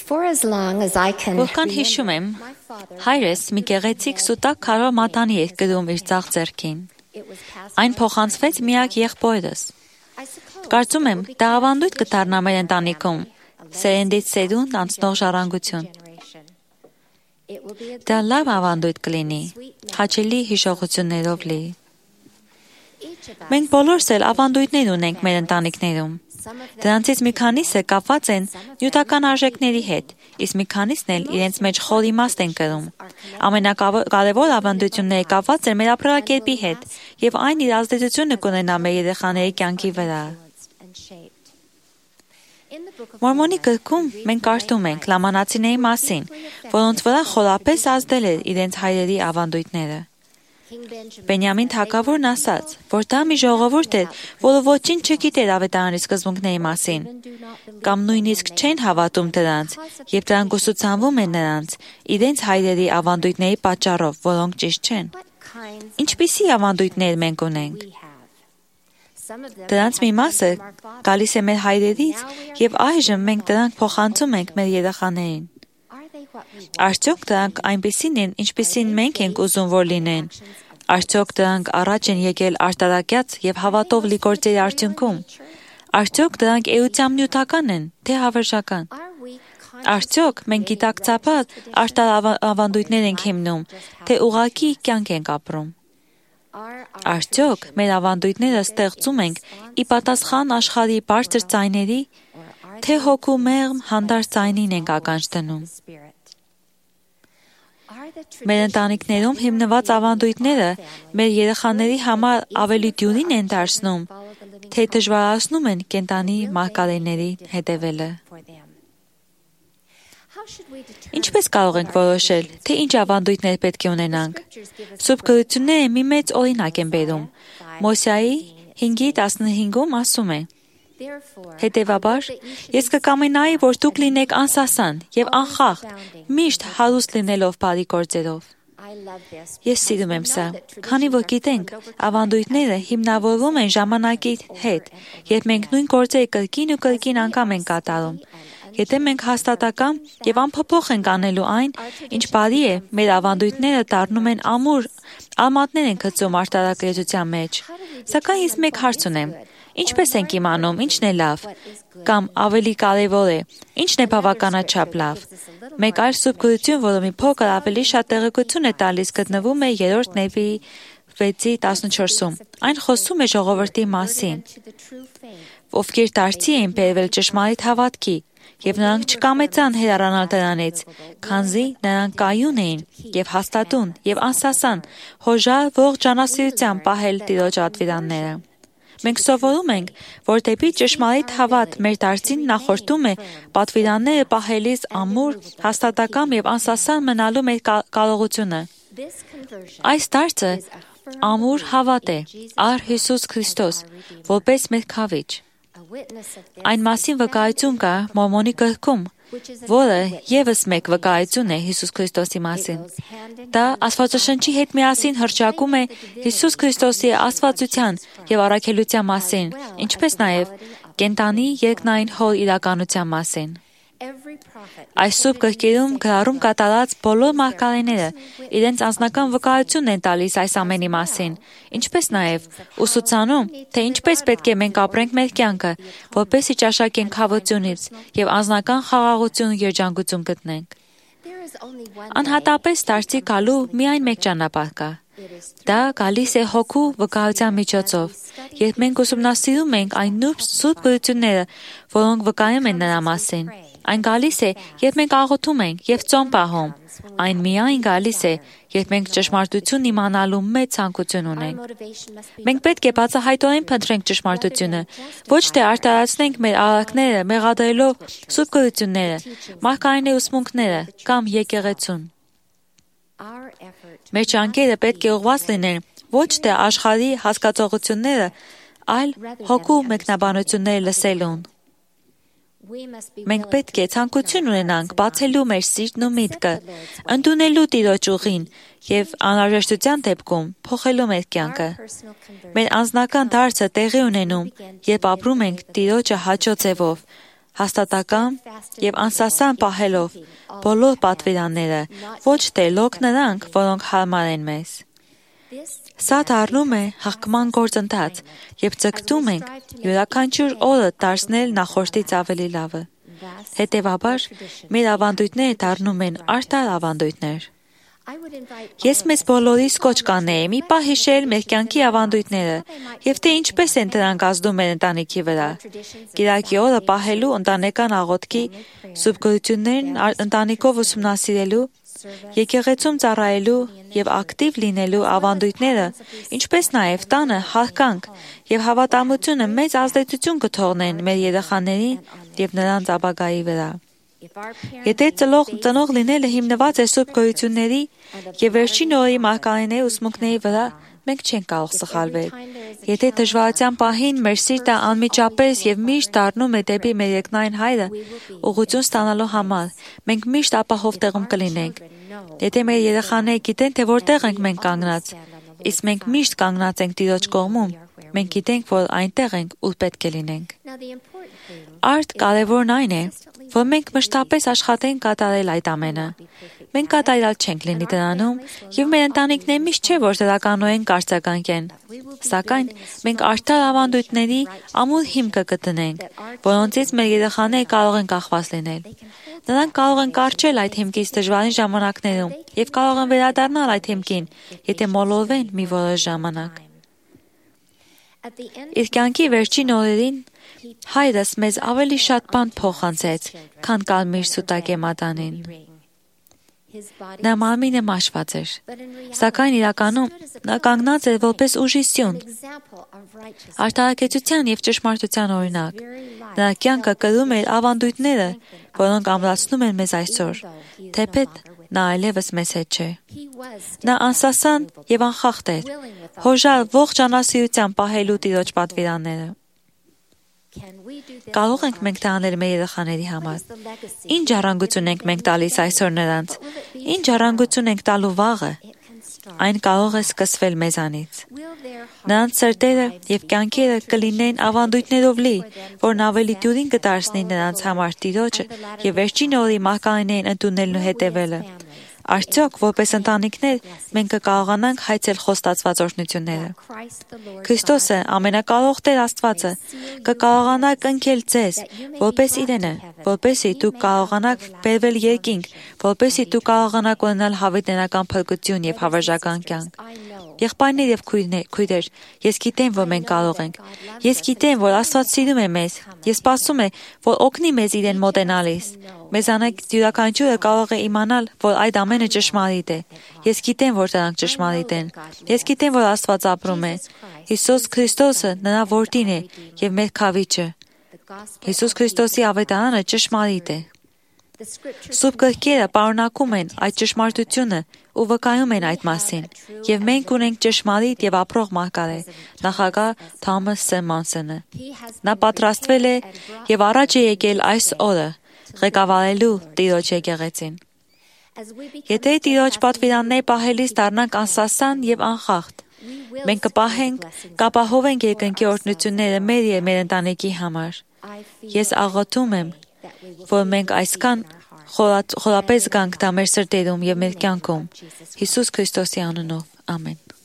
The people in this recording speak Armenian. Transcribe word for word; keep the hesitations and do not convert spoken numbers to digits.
Որքան հիշում եմ, հայրս մի գեղեցիկ սուտակ քարով մատանի էր կրում իր ձախ ձեռքին։ Այն փոխանցվեց միակ եղբորս։ Կարծում եմ, դա ավանդույթ կդառնա մեր ընտանիքում, սերնդից սերունդ անցնող ժառանգություն։ Դա լավ ավանդույթ կլինի, հաճելի հիշողություններով լի։ Մենք բոլորս էլ ավանդույթներ ունենք մեր ընտանիքներում։ Դրանցից մի քանիսը կապված են նյութական արժեքների հետ, իսկ մի քանիսն էլ իրենց մեջ խոր իմաստ են կրում։ Ամենակարևոր ավանդությունները կապված են մեր ապրելակերպի հետ, եւ այն իր ազդեցությունը կունենա մեր երեխաների կյանքի վրա։ Մորմոնի գրքում մենք կարդում ենք լամանացիների մասին, որոնց վրա խորապես ազդել էր իրենց հայրերի ավանդույթները։ Բենյամին թագավորն ասաց, որ դա մի ժողովուրդ էր, որը ոչինչ չգիտեր ավետարանի սկզբունքների մասին, կամ նույնիսկ չեն հավատում դրանց, եւ դրանք ուսուցանվում են նրանց, իրենց հայրերի ավանդույթների պատճառով, որոնք ճիշտ չեն։ Ինչպիսի ավանդույթներ մենք ունենք։ Դրանց մի մասը գալիս է մեր հայրերից, եւ այժմ մենք դրանք փոխանցում ենք մեր երեխաներին։ Արդյոք դրանք այնպիսին են, ինչպիսին մենք ենք ուզում, որ լինեն։ Արդյոք դրանք առաջ են եկել արտարակյաց եւ հավատով լի գործերի արդյունքում։ Արդյոք դրանք էությամբ նյութական են, թե հավերժական։ Արդյոք մենք գիտակցաբար արտար ավանդույթներ ենք հիմնում, թե ուղղակի կյանք ենք ապրում։ Արդյոք մեր ավանդույթները ստեղծում ենք ի պատասխան աշխարհի բարձր ձայների, թե հոգու մեղմ հանդարտ ձայնին ենք ականջ դնում։ Մեր ընտանիքներում հիմնված ավանդույթները մեր երեխաների համար ավելի դյուրին են դարձնում, թե դժվարացնում են կենդանի մարգարեների հետևելը։ Ինչպես կարող ենք որոշել, թե ինչ ավանդույթներ պետք է ունենանք։ Սուրբ գրությունները մի մեծ օրինակ են բերում։ Մոսեի հինգի տասնհինգում ասում է. Հետևաբար, ես կկամենայի, որ դուք լինեք անսասան եւ անխախտ, միշտ հարուստ լինելով բարի գործերով։ Ես սիրում եմ սա, քանի որ գիտենք, ավանդույթները հիմնավորվում են ժամանակի հետ, երբ մենք նույն գործերը կրկին ու կրկին անգամ ենք կատարում։ Եթե մենք հաստատակամ եւ անփոփոխ ենք անելու այն, ինչ բարի է, մեր ավանդույթները դառնում են ամուր, արմատներ են գցում արտարակրթության մեջ։ Սակայն ես մեկ հարց ունեմ. ինչպես ենք իմանում, ինչն է լավ, կամ ավելի կարևոր է, ինչն է բավականաչափ լավ։ Մեկ այլ սուրբ գրություն, որը մի փոքր ավելի շատ տեղեկություն է տալիս, գտնվում է երրորդ Նեվիի վեցի տասնչորսում։ Այն խոսում է ժողովրդի մասին, ովքեր դարձի էին բերվել ճշմարիտ հավատքի, եւ նրանք չկամեցան հեռանալ դրանից, քանզի նրանք կայուն էին եւ հաստատուն եւ անսասան, հոժար ողջ ճանասիրությամբ պահել Տիրոջ ատվիրանները։ Մենք սովորում ենք, որ դեպի ճշմարիտ հավատ մեր դարձին նախորդում է պատվիրանները պահելիս ամուր, հաստատակամ եւ անսասան մնալու մեր կարողությունը։ Այս դարձը ամուր հավատ է առ Հիսուս Քրիստոս, որպես մեր քավիճ։ Այն մասին վկայություն կա Մորմոնի գրքում, որը ևս մեկ վկայություն է Հիսուս Քրիստոսի մասին։ Դա Աստվածաշնչի հետ միասին հռչակում է Հիսուս Քրիստոսի աստվածության եւ առաքելության մասին, ինչպես նաեւ կենդանի երկնային հոր իրականության մասին։ Այս սուրբ գրքերում գրառում կատարած բոլոր մարգարեները իրենց անձնական վկայությունն են տալիս այս ամենի մասին, ինչպես նաև ուսուցանում, թե ինչպես պետք է մենք ապրենք մեր կյանքը, որպեսզի ճաշակենք հավությունից եւ անձնական խաղաղություն ու երջանկություն գտնենք։ Անհատապես դարձի գալու միայն մեկ ճանապարհ կա։ Դա գալիս է հոգու վկայության միջոցով, երբ մենք ուսումնասիրում ենք այն նուրբ սուրբ գրությունները, որոնք վկայում են նրա մասին։ Այն գալիս է, երբ մենք աղոթում ենք եւ ծոմ պահում։ Այն միայն գալիս է, երբ մենք ճշմարտություն իմանալու մեծ ցանկություն ունենք։ Մենք պետք է բացահայտորեն փնտրենք ճշմարտությունը, ոչ թե արտարացնենք մեր արարքները մեղադրելով սուրբ գրությունները, մարգարեների ուսմունքները կամ եկեղեցուն։ Մեր ջանքերը պետք է ուղղված լինեն ոչ թե աշխարհի հասկացողությունները, այլ հոգու մեկնաբանությունները լսելուն։ Մենք պետք է ցանկություն ունենանք բացելու մեր սիրտն ու միտքը, ընդունելու Տիրոջ ուղին եւ անհրաժեշտության դեպքում փոխելու մեր կյանքը։ Մեր անձնական դարձը տեղի ունենում, երբ ապրում ենք Տիրոջը հաճո ձևով, հաստատակամ եւ անսասան պահելով բոլոր պատվիրանները, ոչ թե լոկ նրանք, որոնք հարմար են մեզ։ Սա դառնում է հաղթման գործընթաց, եւ ձգտում ենք յուրաքանչյուր օրը դարձնել նախորդից ավելի լավը։ Հետևաբար, մեր ավանդույթները դառնում են արդար ավանդույթներ։ Ես մեզ բոլորիս կոչ կանեի մի պահ հիշել մեր կյանքի ավանդույթները եւ թե ինչպես են դրանք ազդում մեր ընտանիքի վրա։ Կիրակի օրը պահելու ընտանեկան աղոթքի, սուրբ գոյություններն ընտանիքով ուսումնասիրելու, եկեղեցում ծառայելու եւ ակտիվ լինելու ավանդույթները, ինչպես նաեւ տանը հարգանք եւ հավատամությունը մեծ ազդեցություն կթողնեն մեր երեխաներին եւ նրանց ապագայի վրա։ Եթե ծնող, ծնող լինելը հիմնված է սուրբ գոյությունների եւ վերջին օրերի մարգարեների ուսմունքների վրա, մենք չենք կարող սխալվել։ Եթե դժվարության պահին մեր սիրտը անմիջապես եւ միշտ դառնում է դեպի մեր երկնային Հայրը, ուղղություն ստանալու համար, մենք միշտ ապահով տեղում կլինենք։ Եթե մեր երեխաները գիտեն, թե որտեղ ենք մենք կանգնած, իսկ մենք միշտ կանգնած ենք Տիրոջ կողմում, մենք գիտենք, որ այնտեղ ենք, ուր պետք է լինենք։ Արդ կարևորն այն է, որ մենք մշտապես աշխատենք կատարել այդ ամենը։ Մենք կատարյալ չենք լինի դրանում, եւ մեր ընտանիքները միշտ չէ, որ դրականորեն կարծականքեն։ Սակայն մենք արդար ավանդույթների ամուր հիմքը կտնենք, որոնցից մեր երեխաները կարող են կախված լինել։ Նրանք կարող են կարճել այդ հիմքից դժվարին ժամանակներում եւ կարող են վերադառնալ այդ հիմքին, եթե մոլորվեն մի որոշ ժամանակ։ Իր կյանքի վերջին օրերին Հայրս մեզ ավելի շատ բան փոխանցեց, քան կարմիր սուտակե մատանին։ Նա մարմինը մաշված էր, սակայն իրականում նա կանգնած էր որպես ուժի սյուն, արդարակեցության եւ ճշմարտության օրինակ։ Նրա կյանքը կրում էր ավանդույթները, որոնք ամրացնում են մեզ այսօր, թեպետ նա այլևս մեզ հետ չէ։ Նա անսասան եւ անխախտ էր, հոժար ողջ անասիրությամբ պահելու Տիրոջ պատվիրանները։ Կարող ենք մենք դա անել մեր երեխաների համար։ Ինչ ժառանգություն ենք մենք տալիս այսօր նրանց։ Ինչ ժառանգություն ենք տալու վաղը։ Այն կարող է սկսվել մեզանից։ Նրանց սրտերը եւ կյանքերը կլինեն ավանդույթներով լի, որն ավելի դյուրին կդարձնի նրանց համար Տիրոջը եւ վերջին օրի մարգարեներին ընդունելն ու հետևելը։ Արդյոք, որպես ընտանիքներ, մենք կկարողանանք հայցել խոստացված օրհնությունները։ Քրիստոսը, ամենակարող Տեր Աստվածը, կկարողանա կնքել ձեզ, որպես իրենը, որպեսզի դուք կարողանաք բերվել երկինք, որպեսզի դուք կարողանաք ունենալ հավիտենական փրկություն եւ հավերժական կյանք։ Եղբայրներ եւ քույրեր, ես գիտեմ, որ մենք կարող ենք։ Ես գիտեմ, որ Աստված սիրում է մեզ։ Ես սպասում եմ, որ օգնի մեզ իրեն մոտենալիս։ Մեզանից յուրաքանչյուրը կարող է իմանալ, որ այդ ամենը ճշմարիտ է։ Ես գիտեմ, որ դրանք ճշմարիտ են։ Ես գիտեմ, որ Աստված ապրում է։ Հիսուս Քրիստոսը նրա որդին է եւ մեր քավիճը։ Հիսուս Քրիստոսի ավետարանը ճշմարիտ է։ Սուրբ գրքերը պարունակում են այդ ճշմարտությունը ու վկայում են այդ մասին, եւ մենք ունենք ճշմարիտ եւ ապրող մարգարե, նախագահ Թոմաս Սեմոնսոնը։ Նա պատրաստվել է եւ առաջ է եկել այս օրը ղեկավարելու Տիրոջ եկեղեցին։ Եթե Տիրոջ պատվիրաններ պահելիս դառնանք անսասան եւ անխախտ, մենք կպահենք, կապահովենք երկնքի օրհնությունները մեր եւ մեր ընտանիքի համար։ Ես աղոթում եմ, որ մենք այսքան խորապես գանք դա մեր սրտերում եւ մեր կյանքում։ Հիսուս Քրիստոսի անունով։ Ամեն։